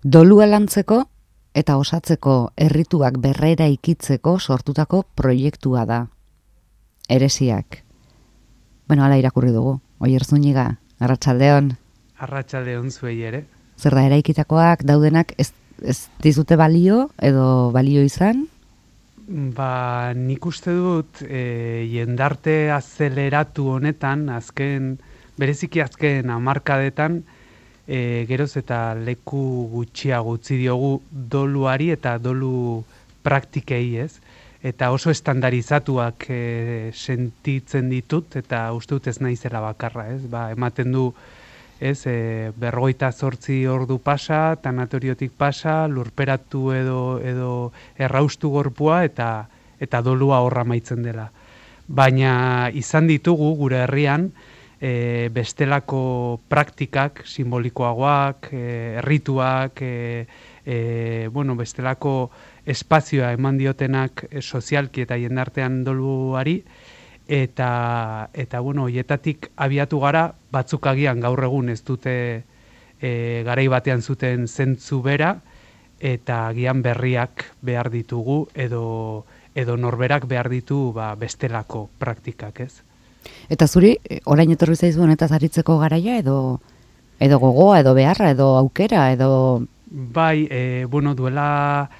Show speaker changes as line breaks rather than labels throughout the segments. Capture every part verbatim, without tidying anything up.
Dolua lantzeko eta osatzeko errituak berrera ikitzeko sortutako proiektua da. Eresiak. Bueno, hala irakurri dugu. Oier Zúñiga, arratsaldeon.
Arratsaldeon zuei ere.
Zer da, eraikitakoak daudenak ez, ez dizute balio edo balio izan?
Ba, nik uste dut e, jendarte azeleratu honetan, azken, bereziki azken hamarkadetan, e, geroz eta leku gutxiago utzi diogu doluari eta dolu praktikei, ez? Eta oso estandarizatuak e, sentitzen ditut, eta uste dut ez naizela bakarra, ez? Ba, ematen du, ez, e, berrogeita zortzi ordu pasa, tanatoriotik pasa, lurperatu edo, edo erraustu gorpua, eta, eta dolua horra maitzen dela. Baina izan ditugu gure herrian, e, bestelako praktikak, simbolikoagoak, e, errituak, e, e, bueno, bestelako espazioa eman diotenak e, sozialki eta jendartean doluari, eta, eta bueno, hoietatik abiatu gara, batzuk agian gaur egun ez dute e, garai batean zuten zentzu bera, eta agian berriak behar ditugu, edo, edo norberak behar ditu ba, bestelako praktikak, ez?
Eta zuri, orain etorri zaizu honetaz aritzeko garaia, edo, edo gogoa, edo beharra, edo aukera, edo...
Bai, e, bueno, duela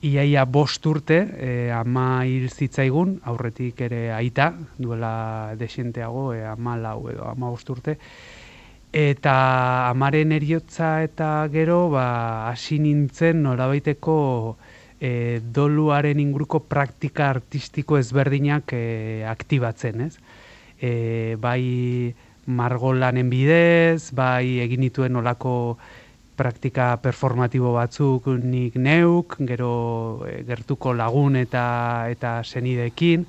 iaia bost urte, e, ama hil zitzaigun, aurretik ere aita, duela desienteago, e, ama lau edo ama bost urte, eta amaren eriotza eta gero, ba, hasi nintzen norabaiteko e, doluaren inguruko praktika artistiko ezberdinak e, aktibatzen, ez? E, bai margolanen bidez, bai egin dituen olako praktika performatibo batzuk nik neuk, gero e, gertuko lagun eta eta senideekin,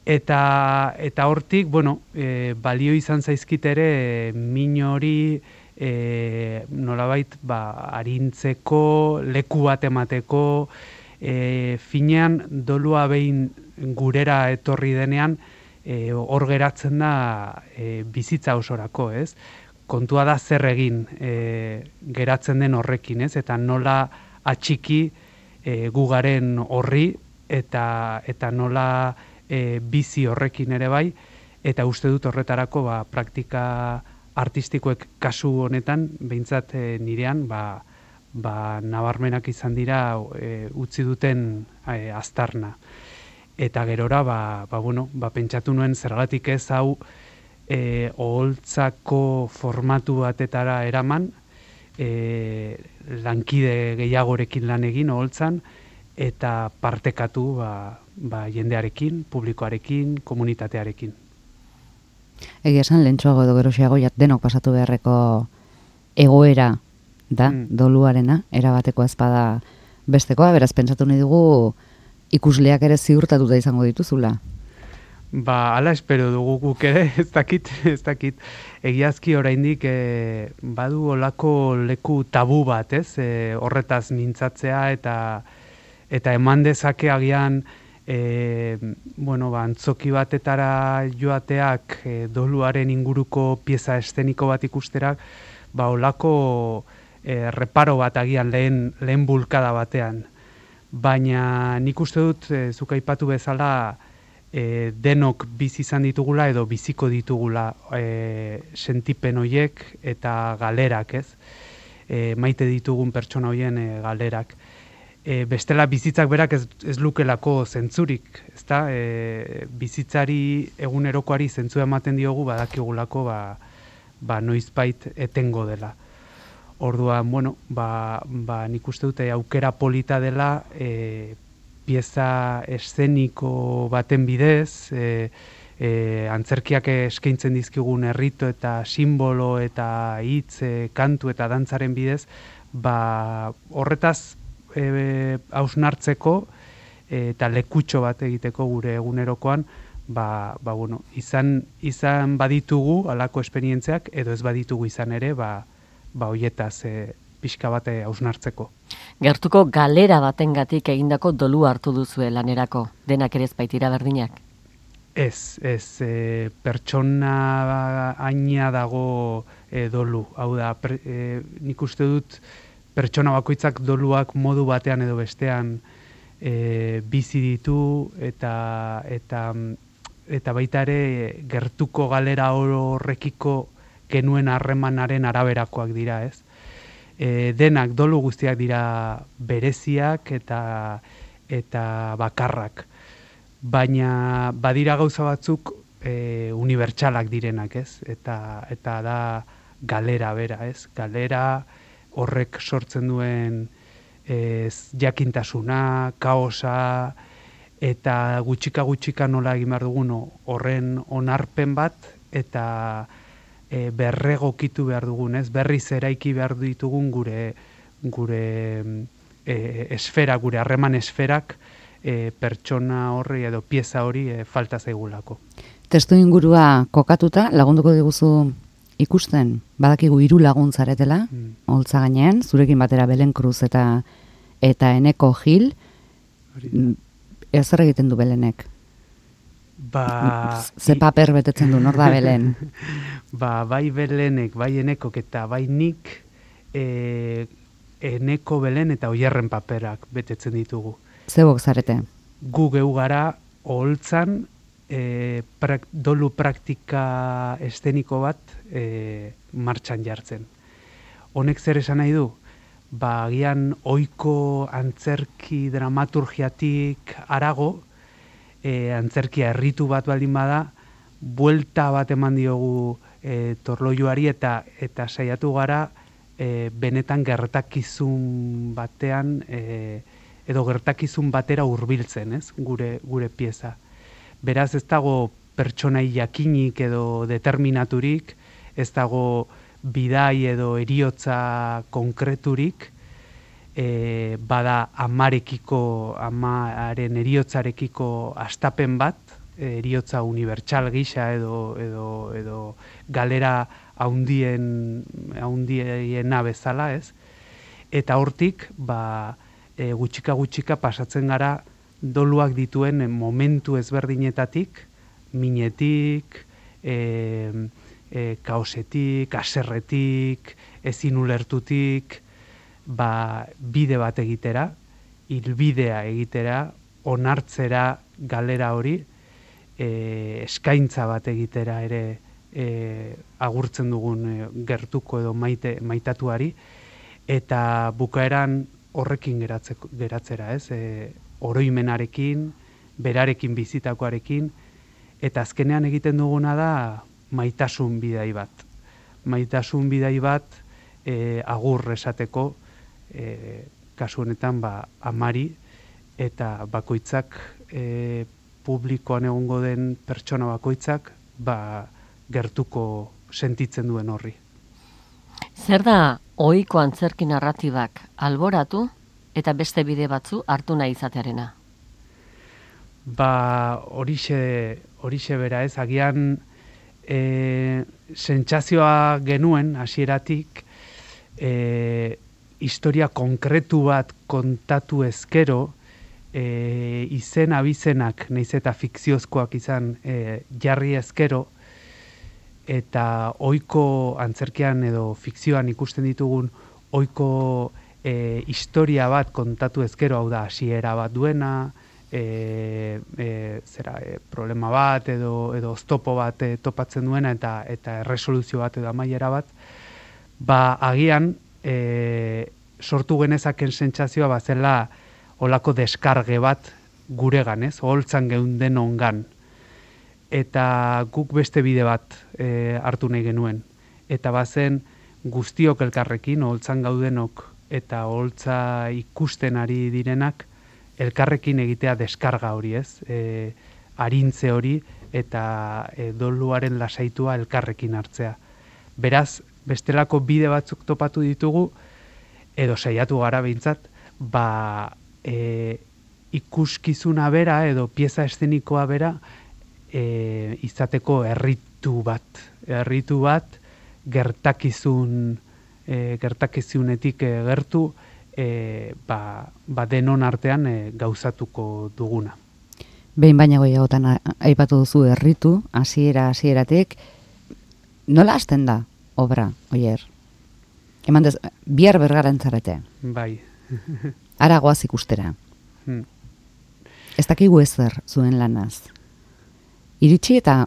eta eta hortik, bueno, e, balio izan zaizkit ere e, min hori e, nolabait ba, arintzeko, leku bat emateko, e, finean dolua behin gurera etorri denean, e, hor geratzen da e, bizitza osorako, ez? Kontua da zer egin e, geratzen den horrekin, ez? Eta nola atxiki e, gugaren horri eta eta nola e, bizi horrekin ere bai, eta uste dut horretarako ba, praktika artistikoek kasu honetan, behintzat e, nirean, ba, ba, nabarmenak izan dira e, utzi duten e, aztarna. Eta gerora, ba, ba, bueno, ba, pentsatu nuen zergatik ez hau, E, oholtzako formatu batetara eraman, e, lankide gehiagorekin lan egin oholtzan, eta partekatu ba, ba, jendearekin, publikoarekin, komunitatearekin.
Egia esan, lehentxoago edo gerosiago denok pasatu beharreko egoera da, mm. doluarena, erabateko ezpada bestekoa, beraz, pentsatu nahi dugu ikusleak ere ziurtatuta izango dituzula.
Ba, ala espero dugu guk ere, ez dakit, ez dakit. Egiazki oraindik e, badu olako leku tabu bat, ez? E, horretaz mintzatzea eta eta eman dezake agian e, bueno, ba, antzoki batetara joateak e, doluaren inguruko pieza eszeniko bat ikusterak, ba, olako e, reparo bat agian lehen, lehen bulkada batean. Baina nik uste dut, e, zuk aipatu bezala, E, denok bizi izan ditugula edo biziko ditugula e, sentipen hoiek eta galerak, ez? E, maite ditugun pertsona hoien e, galerak. E, bestela bizitzak berak ez, ez lukelako zentzurik, ezta? E, bizitzari egunerokoari zentzua ematen diogu badakigulako ba, ba noizbait etengo dela. Orduan, bueno, ba, ba nik uste dute aukera polita dela e, pieza eszeniko baten bidez, e, e, antzerkiak eskaintzen dizkigun errito eta simbolo eta hitz, e, kantu eta dantzaren bidez, ba, horretaz e, hausnartzeko e, eta lekutxo bat egiteko gure egunerokoan, ba, ba, bueno, izan, izan baditugu alako esperientziak, edo ez baditugu izan ere, ba, ba hoietaz e, pixka bate hausnartzeko.
Gertuko galera batengatik egindako dolu hartu duzue lanerako, denak ere ez baitira berdinak?
Ez, ez, e, pertsona aina dago e, dolu. Hau da, per, e, nik uste dut pertsona bakoitzak doluak modu batean edo bestean e, bizi ditu eta eta eta baita ere gertuko galera horrekiko genuen harremanaren araberakoak dira, ez? E, denak dolu guztiak dira bereziak eta eta bakarrak. Baina badira gauza batzuk e, unibertsalak direnak, ez? Eta eta da galera bera, ez? Galera horrek sortzen duen ez, jakintasuna, kaosa, eta gutxika gutxika nola egin behar dugun horren onarpen bat, eta e, berregokitu behar dugun, ez? Berriz eraiki behar ditugun gure gure e, esfera, gure harreman esferak e, pertsona horri edo pieza hori e, falta zaigulako.
Testu ingurua kokatuta, lagunduko diguzu ikusten, badakigu hiru lagun zaretela, mm. holtza gainean, zurekin batera Belen Cruz eta eta Eneko Gil, ezer egiten du Belenek?
Ba...
Ze paper betetzen du, nor da Belen?
Ba, bai Belenek, bai Enekok eta bai nik e, Eneko, Belen eta Oierren paperak betetzen ditugu.
Zebok zarete?
Gu geu gara holtzan e, prak, dolu praktika esteniko bat e, martxan jartzen. Honek zer esan nahi du? Ba, agian ohiko antzerki dramaturgiatik harago, e, antzerkia erritu bat baldin bada, buelta bat eman diogu e, torloioari eta eta saiatu gara e, benetan gertakizun batean e, edo gertakizun batera hurbiltzen, ez? Gure gure pieza. Beraz ez dago pertsonai jakinik edo determinaturik, ez dago bidai edo eriotza konkreturik, e, bada amarekiko, amaren eriotzarekiko astapen bat, eriotza unibertsal gisa edo, edo, edo galera haundien, haundiena bezala, ez? Eta hortik, ba, e, gutxika gutxika pasatzen gara doluak dituen momentu ezberdinetatik, minetik, e, E, kaosetik, aserretik, ezin ulertutik, ba, bide bat egitera, hilbidea egitera, onartzera galera hori, e, eskaintza bat egitera ere e, agurtzen dugun e, gertuko edo maite, maitatuari, eta bukaeran horrekin geratzeko, geratzera, ez? E, oroimenarekin, berarekin bizitakoarekin, eta azkenean egiten duguna da maitasun bidai bat. Maitasun bidai bat e, agur esateko, e, kasu honetan ba, amari, eta bakoitzak e, publikoan egongo den pertsona bakoitzak ba, gertuko sentitzen duen horri.
Zer da ohiko antzerki narratibak alboratu eta beste bide batzu hartu nahi izatearena?
Ba, horixe, horixe bera ez, agian E, sentsazioa genuen hasieratik e, historia konkretu bat kontatu ezkero e, izen abizenak nahiz eta fikziozkoak izan e, jarri ezkero eta ohiko antzerkian edo fikzioan ikusten ditugun ohiko e, historia bat kontatu ezkero, hau da hasiera bat duena, E, e, zera, e, problema bat edo, edo oztopo bat e, topatzen duena eta eta erresoluzio bat edo amaiera bat, ba agian e, sortu genezaken sentsazioa bazela olako deskarge bat guregan, ez? Oholtzan geunden ongan. Eta guk beste bide bat e, hartu nahi genuen. Eta bazen guztiok elkarrekin, oholtzan gaudenok eta oholtza ikusten ari direnak, elkarrekin egitea deskarga hori, ez? E, arintze hori eta e, doluaren lasaitua elkarrekin hartzea. Beraz, bestelako bide batzuk topatu ditugu, edo saiatu gara behintzat, ba, e, ikuskizuna bera edo pieza eszenikoa bera e, izateko erritu bat. Erritu bat gertakizun, e, gertakizunetik e, gertu, E, ba, ba denon artean e, gauzatuko duguna.
Behin baina goiagotan aipatu duzu erritu, hasiera hasieratik, nola hasten da obra, Oier? Eman dez, bihar bergaran zarete.
Bai.
Ara goaz ikustera.
Hmm.
Ez dakigu ezer zuen lanaz. Iritsi eta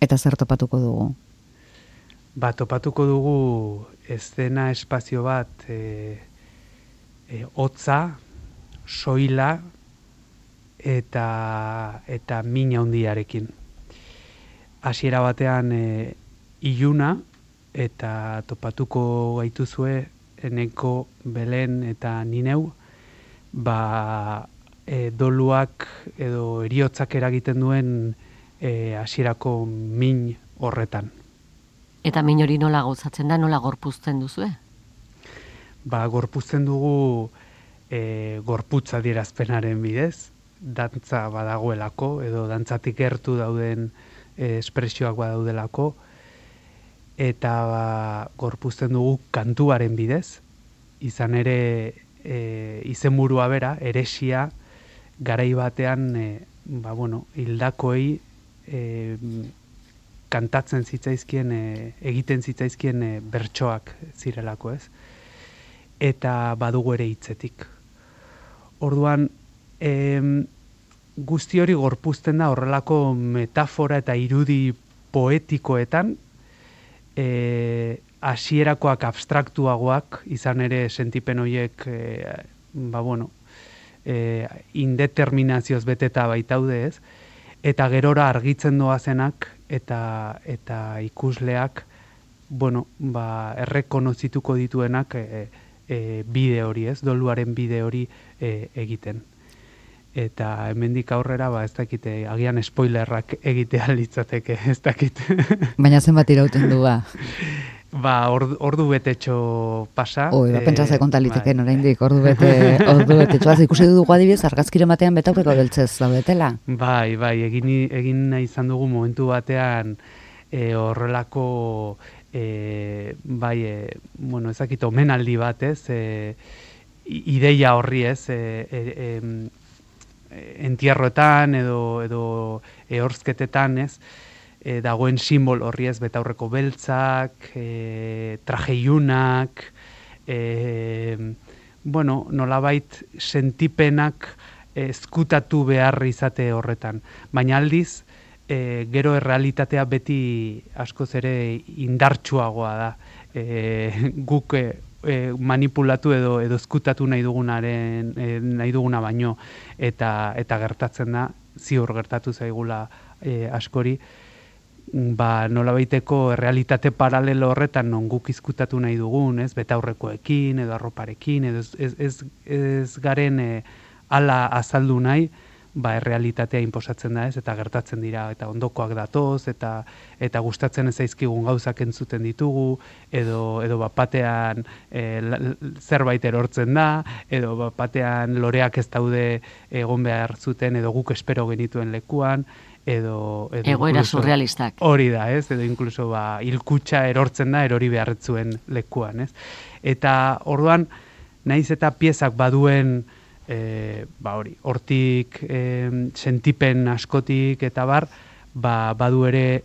eta zer topatuko dugu?
Ba, topatuko dugu eszena espazio bat e, e, hotza, soila eta eta min handiarekin. Hasiera batean e, iluna eta topatuko gaituzue Eneko, Belen eta Nineu, ba e, doluak edo heriotzak eragiten duen e, hasierako min horretan.
Eta min hori nola gozatzen da, nola gorpuzten duzue?
Ba, gorpuzten dugu e, gorputza adierazpenaren bidez, dantza badagoelako, edo dantzatik gertu dauden e, espresioak badaudelako, eta ba, gorpuzten dugu kantuaren bidez, izan ere e, izenburua bera, eresia, garai batean e, ba, bueno, hildakoei e, kantatzen zitzaizkien, e, egiten zitzaizkien e, bertsoak zirelako, ez? Eta badugu ere hitzetik. Orduan, e, guzti hori gorpuzten da horrelako metafora eta irudi poetikoetan, E, hasierakoak abstraktuagoak, izan ere sentipen horiek e, ba bueno, e, indeterminazioz beteta baitaude, ez? Eta gerora argitzen doazenak eta eta ikusleak bueno, ba, errekonozituko dituenak e, e, bide hori, ez? Doluaren bide hori e, egiten. Eta hemendik aurrera, ba, ez dakite, agian spoilerrak egitea litzateke, ez dakit.
Baina zenbat irauten du, ba?
Ba, ordu, ordu betetxo pasa.
Oi, ba, pentsa ze kontaliteken
bai.
oraindik, ordu bete, ordu betetxoaz ikusi dugu adibidez, argazkire batean betaurreko beltzez daudetela.
Bai, bai, egin, egin nahi izan dugu momentu batean e, horrelako, e, bai, e, bueno, ez dakit, omenaldi bat, ez, e, ideia horri, ez, e, e, e, entierroetan edo edo ehorzketetan, ez, e, dagoen simbol horri, ez, betaurreko beltzak, e, traje ilunak, e, bueno, nolabait sentipenak ezkutatu behar izate horretan. Baina aldiz, e, gero errealitatea beti askoz ere indartsuagoa da. E, guk e, E, manipulatu edo edo ezkutatu nahi dugunaren e, nahi duguna baino eta eta gertatzen da, ziur gertatu zaigula e, askori, ba nolabaiteko errealitate paralelo horretan non guk izkutatu nahi dugun, ez, betaurrekoekin edo arroparekin edo ez, ez, ez, ez garen e, ala azaldu nahi, ba errealitatea inposatzen da, ez, eta gertatzen dira, eta ondokoak datoz, eta eta gustatzen ez zaizkigun gauzak entzuten ditugu, edo edo bapatean e, zerbait erortzen da, edo bapatean loreak ez daude egon behar zuten, edo guk espero genituen lekuan, edo, edo
egoera
incluso,
surrealistak.
Hori da, ez, edo inkluso ba hilkutxa erortzen da erori beharretzuen lekuan, ez. Eta orduan naiz eta piezak baduen E, ba hori, hortik e, sentipen askotik eta bar, ba, badu ere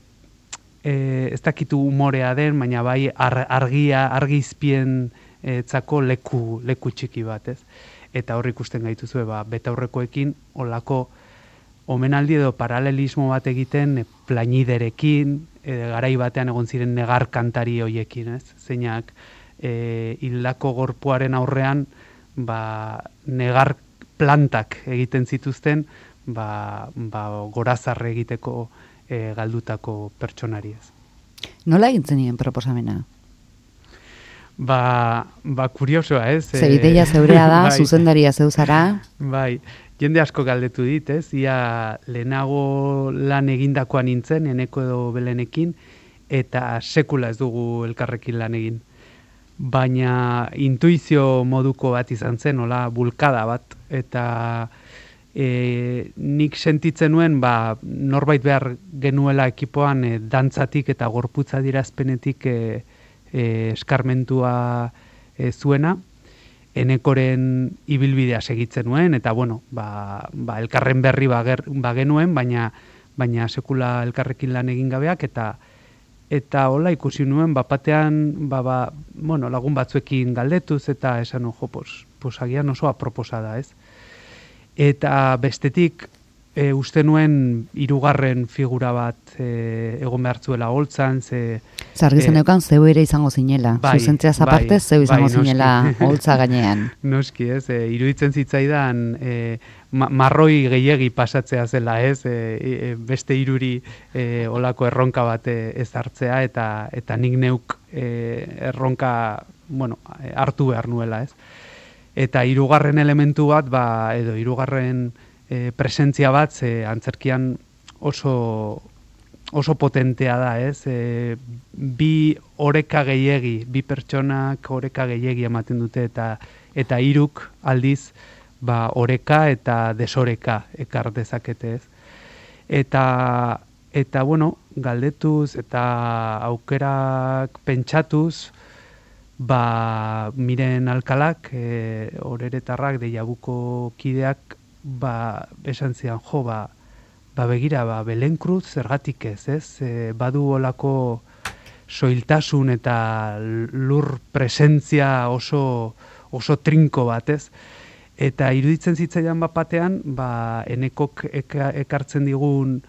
e, ez dakitu umorea den, baina bai ar, argia, argizpien etzako leku, leku txiki bat, ez? Eta hor ikusten gaituzue, ba, betaurrekoekin olako omenaldi edo paralelismo bat egiten e, plañiderekin, e, garai batean egon ziren negar kantari hoiekin, ez? Zeinak e, hildako gorpuaren aurrean ba, negar plantak egiten zituzten, ba, ba, gorazarre egiteko e, galdutako pertsonariez.
Nola egintzen nien proposamena?
Ba, ba kuriosoa, ez?
Ze ideia zeurea da,
bai,
zuzendaria zeuzara.
Bai, jende asko galdetu dit, ez? Ia lehenago lan egindakoan nintzen, Eneko edo Belenekin, eta sekula ez dugu elkarrekin lan egin. Baina intuizio moduko bat izan zen, hola, bulkada bat, eta e, nik sentitzen nuen, ba, norbait behar genuela ekipoan e, dantzatik eta gorputza dirazpenetik e, e, eskarmentua e, zuena, Enekoren ibilbidea segitzen nuen, eta bueno, ba, ba, elkarren berri bager, bagenuen, baina, baina sekula elkarrekin lan egin gabeak, eta eta hola ikusi nuen, bapatean, ba, ba, bueno, lagun batzuekin galdetuz, eta esan, jo, pos, pos agian oso aproposa da, ez? Eta bestetik, e, uste nuen hirugarren figura bat e, egon behartzuela holtzan, ze...
Zargizen
e,
eukan zeu ere izango zinela,
bai,
zuzentzeaz aparte
bai,
zeu izango
bai,
zinela holtza gainean.
Noski, ez, e, iruditzen zitzaidan e, ma, marroi gehiegi pasatzea zela, ez, e, e, beste hiruri e, olako erronka bat e, ez hartzea, eta, eta nik neuk e, erronka, bueno, hartu behar nuela, ez. Eta hirugarren elementu bat, ba, edo hirugarren e, presentzia bat, ze antzerkian oso, oso potentea da, ez? E, bi oreka gehiegi, bi pertsonak oreka gehiegi ematen dute, eta eta hiruk aldiz, ba, oreka eta desoreka ekar dezakete, ez? Eta, eta bueno, galdetuz eta aukerak pentsatuz, ba, Miren Alkalak, e, oreretarrak, Deiabuko kideak, ba, esan zian, jo, ba, ba begira, ba, Belen Cruz zergatik ez, ez? E, badu olako soiltasun eta lur presentzia oso, oso trinko bat, ez? Eta iruditzen zitzaidan bat batean, ba, enekok eka, ekartzen digun,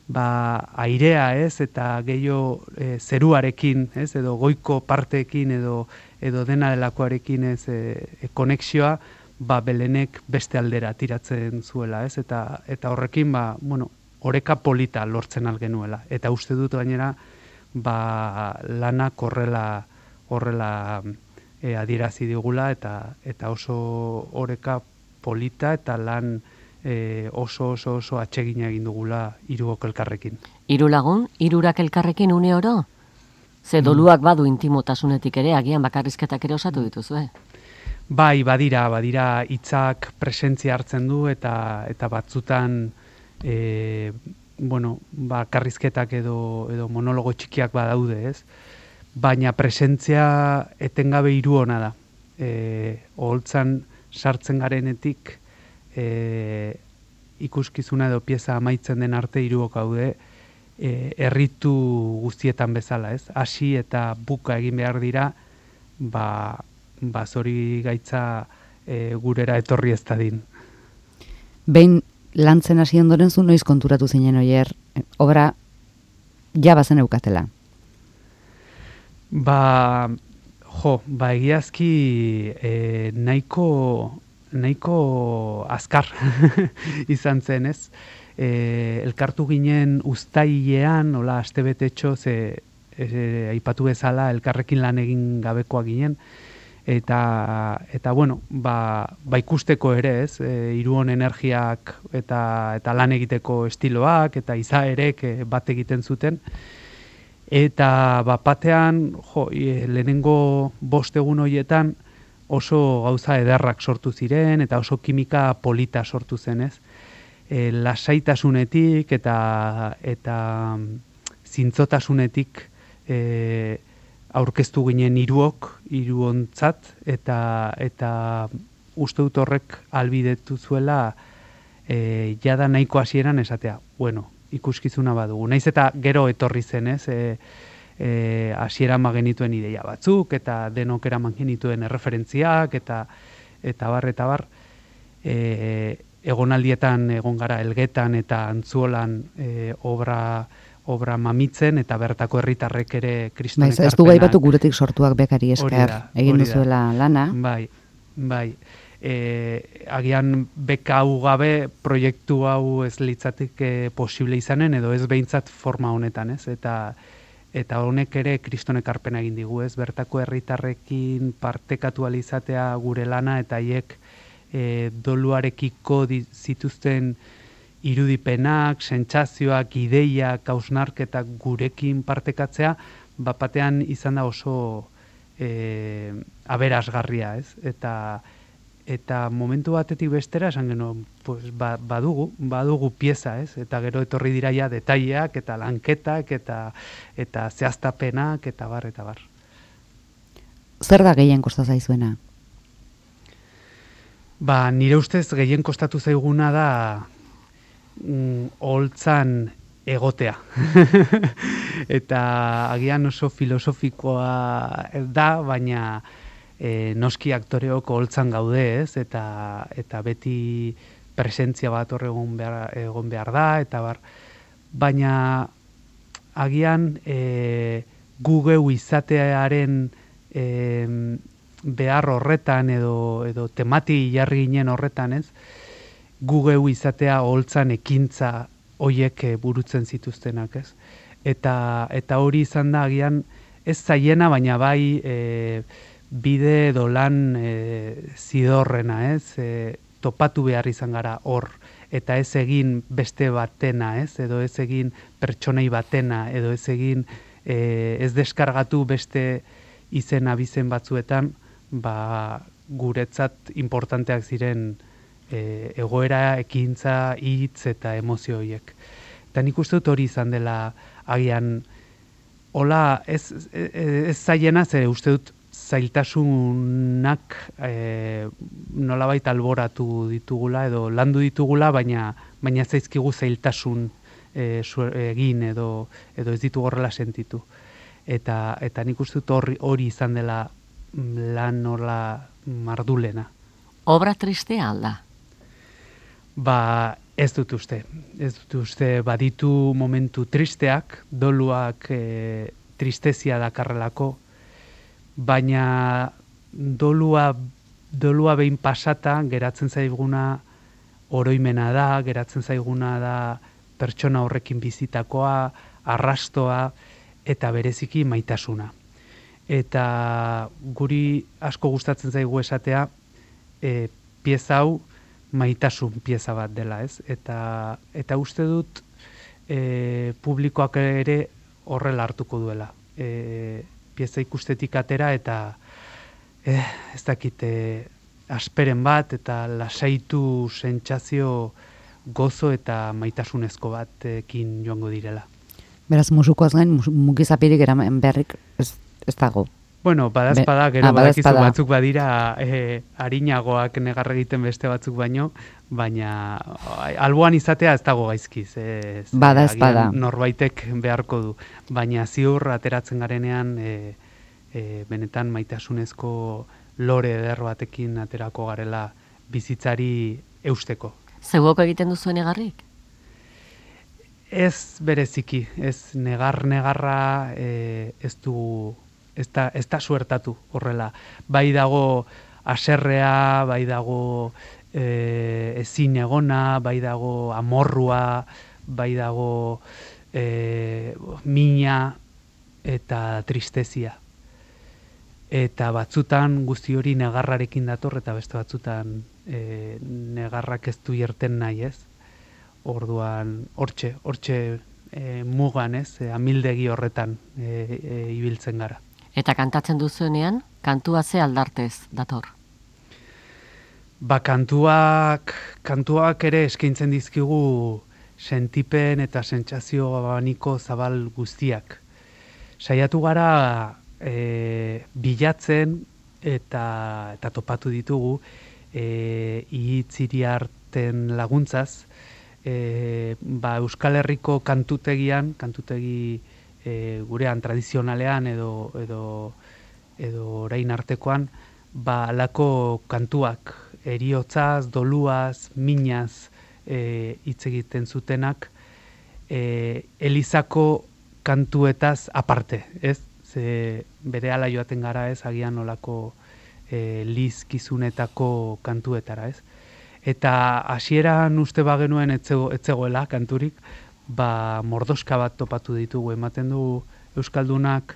ba, airea, ez, eta gehiago e, zeruarekin, ez, edo goiko parteekin, edo, edo dena delakoarekin, ez, e, e, konexioa, ba, Belenek beste aldera tiratzen zuela, ez, eta, eta horrekin, ba, bueno, oreka polita lortzen algenuela, eta uste dut gainera, ba, lanak horrela, horrela e, adierazi digula, eta, eta oso oreka polita, eta lan E, oso oso oso atsegina egin dugula hiruok elkarrekin.
Hiru lagun, hirurak elkarrekin une oro? Ze doluak badu intimotasunetik ere, agian bakarrizketak ere osatu dituzue.
Bai, badira, badira hitzak presentzia hartzen du, eta eta batzutan e, bueno, bakarrizketak edo edo monologo txikiak badaude, ez? Baina presentzia etengabe hiru ona da. Eh, oholtzan sartzen garenetik E, ikuskizuna edo pieza amaitzen den arte hiruok gaude, e, erritu guztietan bezala, ez? Hasi eta buka egin behar dira, ba, ba zori gaitza e, gurera etorri ez dadin.
Behin lantzen hasi ondoren zu noiz konturatu zinen oier, obra ja bazen eukatela?
Ba, jo, ba egiazki e, nahiko... nahiko azkar izan zen, ez? E, elkartu ginen uztailean, hola, astebetetxo, ze e, aipatu bezala elkarrekin lan egin gabekoa ginen, eta, eta bueno, ba, ba ikusteko ere, ez? E, hiruon energiak eta, eta lan egiteko estiloak, eta izaerek e, bat egiten zuten, eta bat batean, jo, e, lehenengo bost egun horietan, oso gauza ederrak sortu ziren, eta oso kimika polita sortu zen, ez? E, lasaitasunetik eta eta zintzotasunetik e, aurkeztu ginen hiruok, hiruontzat, eta eta uste dut horrek ahalbidetu zuela e, jada nahiko hasieran esatea, bueno, ikuskizuna badugu. Naiz eta gero etorri zen, ez? E, E, hasieran genituen ideia batzuk, eta denok eraman genituen erreferentziak, eta eta bar, eta bar, e, egonaldietan egon gara Elgetan eta Antzuolan e, obra, obra mamitzen, eta bertako herritarrek ere kriston ekarpenak.
Ez du gai batu guretik sortuak bekari esker egin duzuela lana.
Bai, bai. E, agian beka hau gabe proiektu hau ez litzateke posible izanen, edo ez behintzat forma honetan, ez? Eta Eta honek ere kriston ekarpena egin digu, ez? Bertako herritarrekin partekatu alizatea gure lana, eta haiek e, doluarekiko zituzten irudipenak, sentsazioak, ideiak, hausnarketak gurekin partekatzea, bapatean izan da oso e, aberasgarria, ez? Eta eta momentu batetik bestera esan genuen, pues, ba, badugu, badugu pieza, ez? Eta gero etorri dira ja detaileak eta lanketak eta eta zehaztapenak eta bar eta bar.
Zer da gehien kosta zaizuena?
Ba, nire ustez gehien kostatu zaiguna da mm, oholtzan egotea. Eta agian oso filosofikoa da, baina e, noski aktoreok holtzan gaude, ez? Eta, eta beti presentzia bat hor egon behar, egon behar da, eta bar, baina agian e, gu geu izatearen e, behar horretan edo, edo temati jarri ginen horretan, ez? Gu geu izatea holtzan ekintza hoiek burutzen zituztenak, ez? Eta, eta hori izan da agian ez zaiena, baina bai e, bide edo lan e, zidorrena, ez? E, topatu behar izan gara hor, eta ez egin beste batena, ez? Edo ez egin pertsonei batena, edo ez egin e, ez deskargatu beste izen abizen batzuetan, ba, guretzat importanteak ziren e, egoera, ekintza, hitz eta emozio horiek. Eta nik uste dut hori izan dela agian, hola, ez, ez, ez zaiena, ze uste dut zailtasunak e, nolabait alboratu ditugula edo landu ditugula, baina baina zaizkigu zailtasun e, egin edo edo ez ditugu horrela sentitu. Eta eta nik uste dut hori, hori izan dela lan horla mardulena.
Obra tristea alda?
Ba, ez dut uste. Ez dut uste baditu momentu tristeak, doluak e, tristezia dakarrelako, baina dolua, dolua behin pasata geratzen zaiguna oroimena da, geratzen zaiguna da pertsona horrekin bizitakoa, arrastoa eta bereziki maitasuna. Eta guri asko gustatzen zaigu esatea e, pieza hau maitasun pieza bat dela, ez? Eta, eta uste dut e, publikoak ere horrela hartuko duela. E, pieza ikustetik atera eta eh, ez dakit eh, asperen bat eta lasaitu sentsazio gozo eta maitasunezko batekin joango direla.
Beraz, musukoaz gain, mugizapirik eraman beharrik ez, ez dago.
Bueno, badazpada, gero
ah,
badakizu
badazpada.
batzuk badira eh, harinagoak negar egiten beste batzuk baino, baina alboan izatea ez dago gaizkiz. Ez,
Badazpada.
Norbaitek beharko du, baina ziur ateratzen garenean e, e, benetan maitasunezko lore eder batekin aterako garela bizitzari eusteko.
Zeuok egiten duzu negarrik?
Ez bereziki, ez negar-negarra e, ez du, ez da, ez da suertatu horrela. Bai dago aserrea, bai dago e, ezin egona, bai dago amorrua, bai dago e, mina eta tristezia. Eta batzutan guzti hori negarrarekin dator, eta beste batzutan e, negarrak ez du irten nahi, ez? Orduan, hortxe, hortxe e, mugan, ez? E, amildegi horretan e, e, ibiltzen gara.
Eta kantatzen duzuenean, kantua ze aldartez dator?
Ba, kantuak, kantuak ere eskaintzen dizkigu sentipen eta sentsazio abaniko zabal guztiak. Saiatu gara e, bilatzen eta, eta topatu ditugu e, ihitziri arten laguntzaz, e, ba, Euskal Herriko kantutegian, kantutegi e, gurean tradizionalean edo, edo, edo orain artekoan, ba, alako kantuak, eriotzaz, doluaz, minaz e, hitz egiten zutenak, e, Elizako kantuetaz aparte, ez? Ze berehala joaten gara, ez, agian olako e, lizkizunetako kantuetara, ez? Eta hasieran uste bagenuen etzego, etzegoela kanturik, ba mordoska bat topatu ditugu, ematen du euskaldunak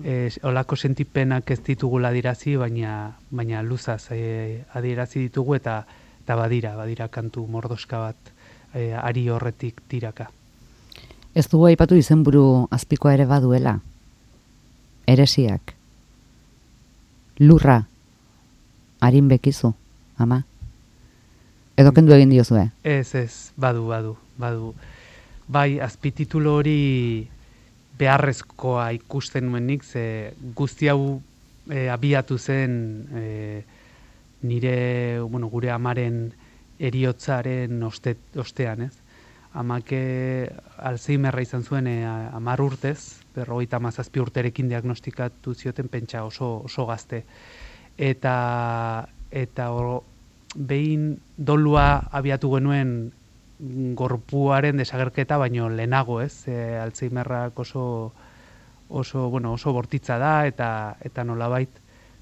e, olako sentipenak ez ditugula adirazi, baina baina luzaz e, adirazi ditugu eta eta badira, badira kantu mordoska bat e, ari horretik tiraka.
Ez dugu aipatu izenburu azpikoa ere baduela. Eresiak. Lurra. Arin bekizu, ama. Edo kendu egin diozue?
Ez, ez, badu, badu, badu. Bai, azpititulo hori beharrezkoa ikusten nuenik, ze guzti hau e, abiatu zen e, nire, bueno, gure amaren eriotzaren oste, ostean, ez? amake Alzheimerra izan zuen e, amar urtez, berrogeita hamazazpi urterekin diagnostikatu zioten, pentsa oso, oso gazte. Eta, eta or, behin dolua abiatu genuen gorpuaren desagerketa, baino lehenago, ez? E, Alzheimerrak oso, oso, bueno, oso bortitza da, eta, eta nolabait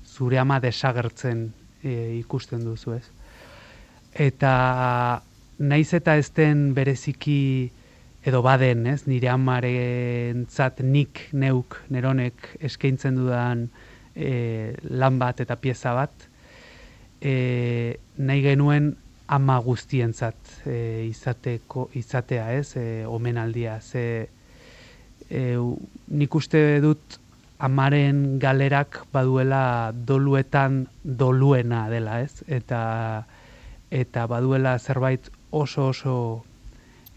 zure ama desagertzen e, ikusten duzu, ez? Eta naiz eta ez den bereziki edo baden, ez? Nire amarentzat nik, neuk, neronek eskaintzen dudan e, lan bat eta pieza bat, e, nahi genuen ama guztientzat e, izateko, izatea, ez? E, omenaldia, ze e, nik uste dut amaren galerak baduela doluetan doluena dela, ez? Eta eta baduela zerbait oso oso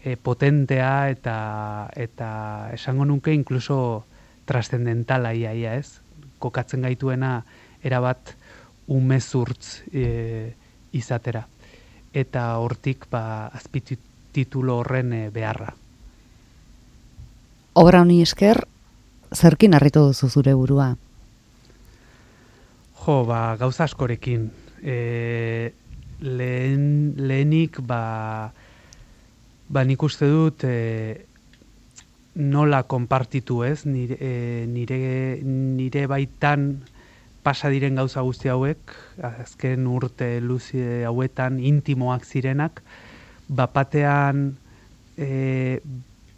e, potentea eta eta esango nuke inkluso trascendentala iaia, ez? Kokatzen gaituena erabat umezurtz e, izatera. Eta hortik ba azpititulo horren e, beharra.
Obra honi esker, zerkin harritu duzu zure burua?
Jo, ba, gauza askorekin. E, lehen, lehenik, ba, ba nik uste dut e, nola konpartitu, ez? Nire, e, nire, nire baitan pasa diren gauza guzti hauek, azken urte luze hauetan intimoak zirenak, bapatean e,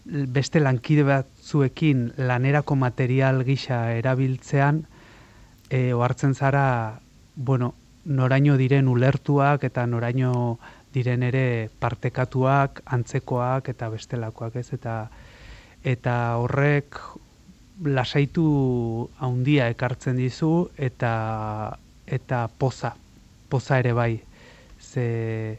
beste lankide batzuekin lanerako material gisa erabiltzean, e, ohartzen zara, bueno, noraino diren ulertuak eta noraino diren ere partekatuak, antzekoak eta bestelakoak, ez? Eta, eta horrek lasaitu handia ekartzen dizu eta eta poza, poza ere bai. Ze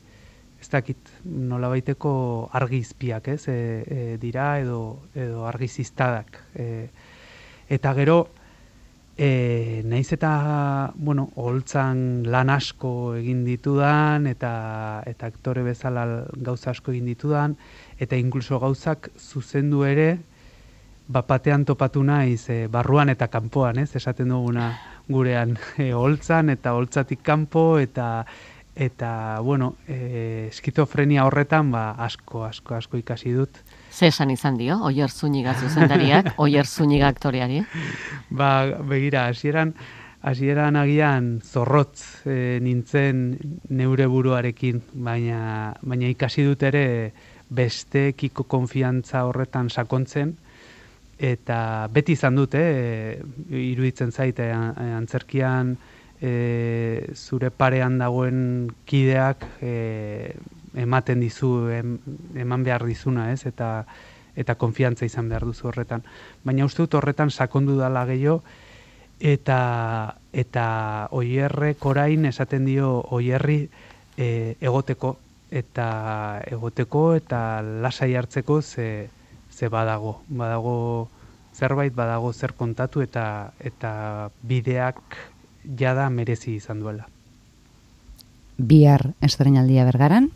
ez dakit, nolabaiteko argizpiak, ez? E, e, dira edo edo argiziztadak. E, eta gero e, naiz eta, bueno, oholtzan lan asko egin ditudan eta eta aktore bezala gauza asko egin ditudan eta inkluso gauzak zuzendu ere bapatean topatu naiz e, barruan eta kanpoan, ez? Esaten duguna gurean e, oholtzan eta oholtzatik kanpo eta eta bueno, e, eskizofrenia horretan ba asko asko asko ikasi dut.
Ze esan izan dio Oier Zúñiga zuzendariak, Oier Zúñiga aktoreari?
Ba, begira, hasieran hasieran agian zorrotz e, nintzen neure buruarekin, baina baina ikasi dut ere bestekiko konfiantza horretan sakontzen. Eta beti izan dute, e, iruditzen zaite, antzerkian e, zure parean dagoen kideak e, ematen dizu, em, eman behar dizuna, ez? Eta, eta konfiantza izan behar duzu horretan. Baina uste dut horretan sakondu dala gehiago, eta, eta Oierrek orain esaten dio Oierri e, egoteko, eta egoteko eta lasai hartzeko ze ze badago, badago zerbait, badago zer kontatu eta eta bideak jada merezi izan duela.
Bihar estreinaldia Bergaran?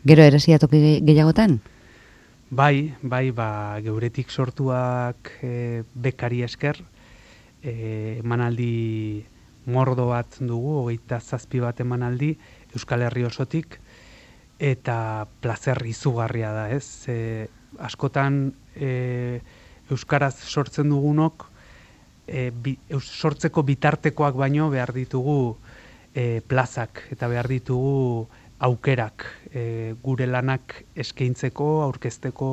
Gero eresia toki gehiagotan?
Bai, bai, ba, geuretik sortuak e, bekari esker, e, emanaldi mordo bat dugu, hogeita zazpi bat emanaldi, Euskal Herri osotik, eta plazer izugarria da, ez? E, askotan e, euskaraz sortzen dugunok e, bi, eus, sortzeko bitartekoak baino behar ditugu e, plazak eta behar ditugu aukerak e, gure lanak eskaintzeko, aurkezteko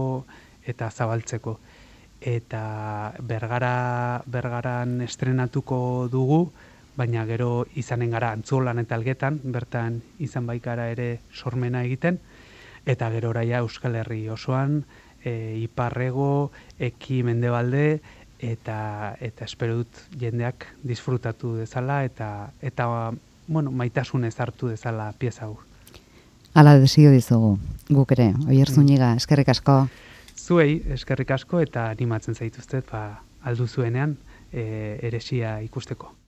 eta zabaltzeko. Eta Bergara, Bergaran estrenatuko dugu, baina gero izanen gara Antzuolan eta Elgetan, bertan izan baikara ere sormena egiten, eta gero oraia Euskal Herri osoan, e, iparrego, eki mendebalde, eta eta espero dut jendeak disfrutatu dezala, eta eta bueno, maitasunez hartu dezala pieza hau.
Hala desio dizugu, guk ere, Oier Zúñiga, eskerrik asko.
Zuei, eskerrik asko, eta animatzen zaituztet, ba, aldu zuenean, e, eresia ikusteko.